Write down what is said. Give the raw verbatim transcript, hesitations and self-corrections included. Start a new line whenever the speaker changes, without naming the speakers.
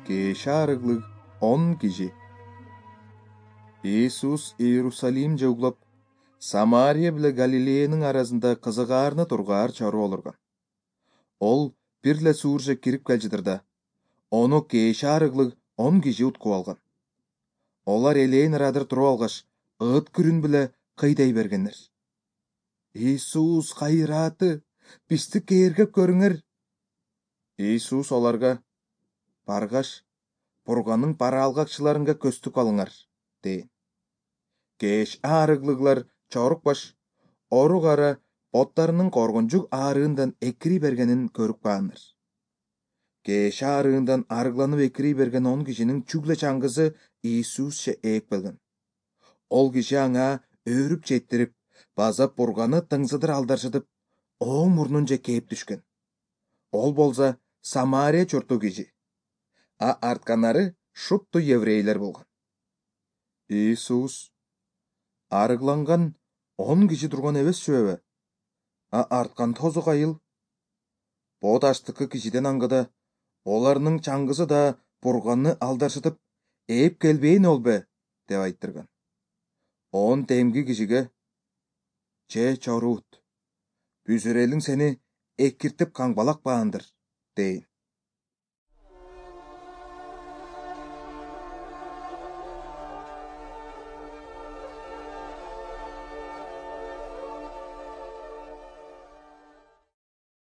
Кеш арыглык он киши. Иисус Иерусалим же углап, Самария биле Галилеянын арасында кызыгаарына тургаар чару олурган. Ол бир эле суурже кирип келжидир да, ону кеш арыглык он киши уткуп алган. Олар элээн ырадыр туруп алгаш, ыт күрүн биле кыйдай бергеннер. Иисус кайрааты, бизди кээргеп көрүңөр. Иисус оларга: баргаш, Бурганын бараалгакчыларынга көстүк алыңар, дейин. Кеш арыглыглар чорук баш, ору кара боттарынын коргончук аарыындан экири бергенин көрүп каандар. Кеш аарыындан арыгланып экири берген он кишинин чүглө чаңгысы Иисусче ээп келген. Ол киши аңа өөрүп жеттирип, базап Бурганы тыңсыдыр алдаршытып, оң мурнунча кээп түшкөн. Ол болсо Самария чурту киши, а артканары шутту еврейлер болгон. Иисус: арыгланган он киши турган эбесчүбү? А арткан тозу кайыл? Бо таштыкы кишиден аңгыда, оларнын чаңгысы да Бурганны алдаршытып ээп келбейин олбе, деп айттырган. Он темги кишиге: же чоруут, бүзүрелиң сени экиртип каңбалакпаандыр, дейин.